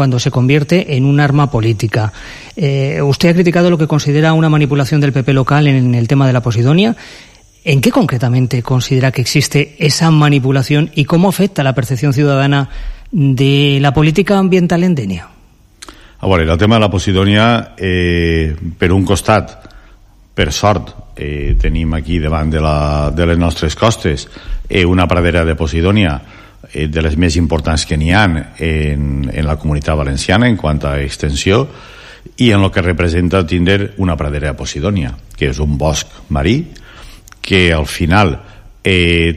cuando se convierte en un arma política. Usted ha criticado lo que considera una manipulación del PP local en el tema de la Posidonia. ¿En qué concretamente considera que existe esa manipulación y cómo afecta la percepción ciudadana de la política ambiental en Dénia? A veure, el tema de la Posidonia, per un costat, per sort, tenim aquí davant de les nostres costes una pradera de Posidonia de les més importants que n'hi ha en la comunitat valenciana en quant a extensió i en el que representa tindre una pradera de Posidonia, que és un bosc marí que al final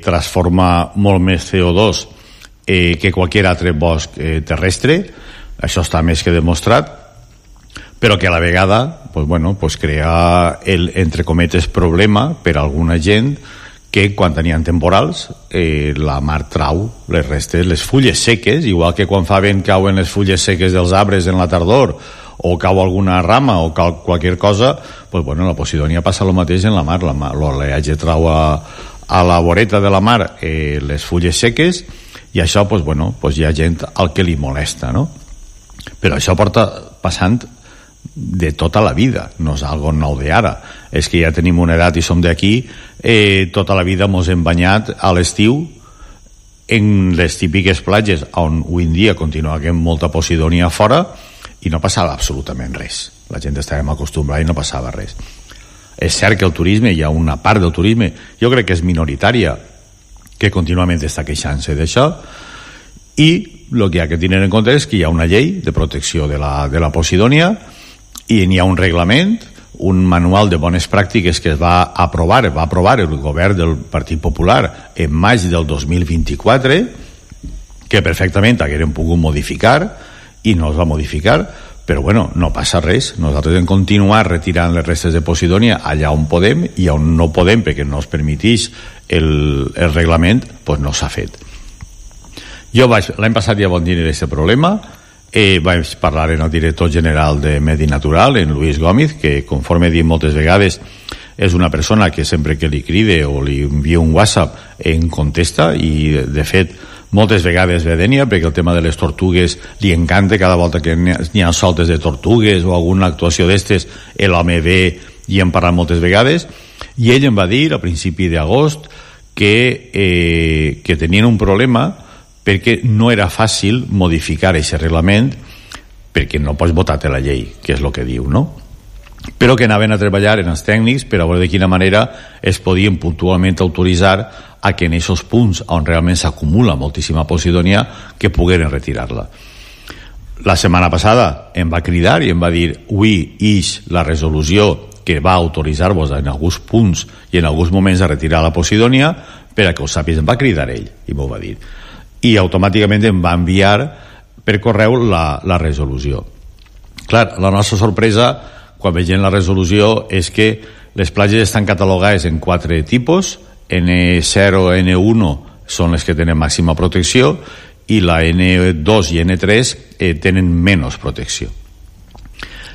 transforma molt més CO2 que qualsevol altre bosc terrestre. Això està més que demostrat, però que a la vegada crea el, entre cometes, problema per a alguna gent que quan tenien temporals la mar trau les restes, les fulles seques, igual que quan fa vent cauen les fulles seques dels arbres en la tardor o cau alguna rama o cau qualsevol cosa, la Posidonia passa el mateix en la mar. L'oleatge trau a la voreta de la mar les fulles seques i això hi ha gent al que li molesta, no? Però això porta passant de tota la vida, no és algo nou d'ara, és que ja tenim una edat i som d'aquí, tota la vida mos hem banyat a l'estiu en les típiques platges on avui en dia continua havent molta Posidonia fora i no passava absolutament res, la gent estàvem acostumbrada i no passava res. És cert que el turisme, hi ha una part del turisme, jo crec que és minoritària, que contínuament està queixant-se d'això, i el que hi ha que tenir en compte és que hi ha una llei de protecció de la Posidonia i n'hi ha un reglament, un manual de bones pràctiques que va aprovar el govern del Partit Popular en maig del 2024, que perfectament hagueren pogut modificar i no es va modificar, però no passa res. Nosaltres hem continuat retirant les restes de Posidonia allà on podem, i on no podem perquè no es permeteix el reglament, no s'ha fet. Jo l'any passat ja vam tenir aquest problema, vaig parlar amb el director general de Medi Natural, en Luis Gómez, que conforme he dit moltes vegades és una persona que sempre que li cride o li envia un WhatsApp en contesta, i de fet moltes vegades ve a Dénia perquè el tema de les tortugues li encanta. Cada volta que n'hi ha soltes de tortugues o alguna actuació d'estes, l'home ve i hem parlat moltes vegades, i ell em va dir a principi d'agost que tenien un problema perquè no era fàcil modificar aquest reglament, perquè no pots votar-te la llei, que és el que diu, no? Però que anaven a treballar en els tècnics per a veure de quina manera es podien puntualment autoritzar a que en aquests punts on realment s'acumula moltíssima Posidonia que pogueren retirar-la. La setmana passada em va cridar i em va dir: avui ix la resolució que va autoritzar-vos en alguns punts i en alguns moments a retirar la Posidonia, per a que ho sàpies. Em va cridar ell i m'ho va dir, i automàticament em va enviar per correu la resolució. Clar, la nostra sorpresa quan veiem la resolució és que les platges estan catalogades en 4 tipus. N0, N1 són les que tenen màxima protecció i la N2 i N3 tenen menys protecció.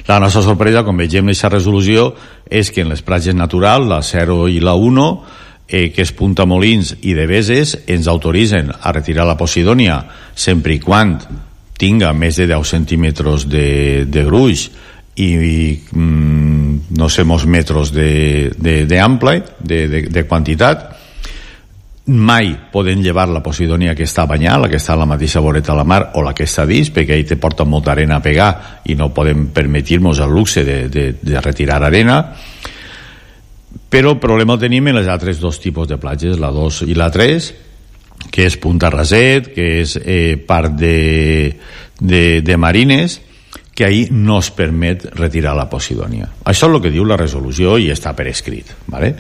La nostra sorpresa quan vegem aquesta resolució és que en les platges naturals, la 0 i la 1, que és Punta Molins i de Beses, ens autoritzen a retirar la Posidonia sempre i quan tinga més de 10 centímetres de gruix i no sé, molts metres d'ample, de quantitat. Mai poden llevar la Posidonia que està banyada, la que està a la mateixa voreta de la mar o la que està dins, perquè ahí te porta molta arena a pegar i no podem permetir-nos el luxe de retirar arena. Però el problema el tenim en les altres 2 tipus de platges, la 2 i la 3, que és Punta Raset, que és part de Marines, que ahí no es permet retirar la Posidonia. Això és el que diu la resolució i està per escrit, ¿vale?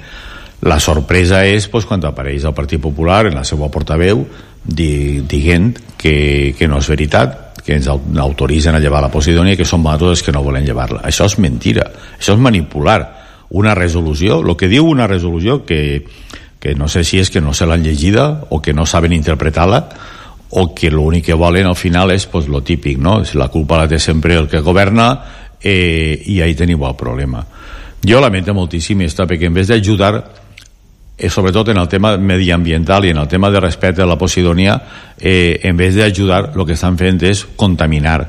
La sorpresa és quan apareix el Partit Popular en la seva portaveu dient que no és veritat, que ens autoritzen a llevar la Posidonia i que són nosaltres els que no volen llevar-la. Això és mentira, això és manipular una resolució. El que diu una resolució, que no sé si és que no se l'han llegida o que no saben interpretar-la, o que l'únic que volen al final és lo típic, no? Si la culpa la té sempre el que governa, i ahí tenim el problema. Jo lamento moltíssim perquè en vez d'ajudar, sobretot en el tema mediambiental i en el tema de respecte a la Posidonia, en vez d'ajudar, el que estan fent és contaminar.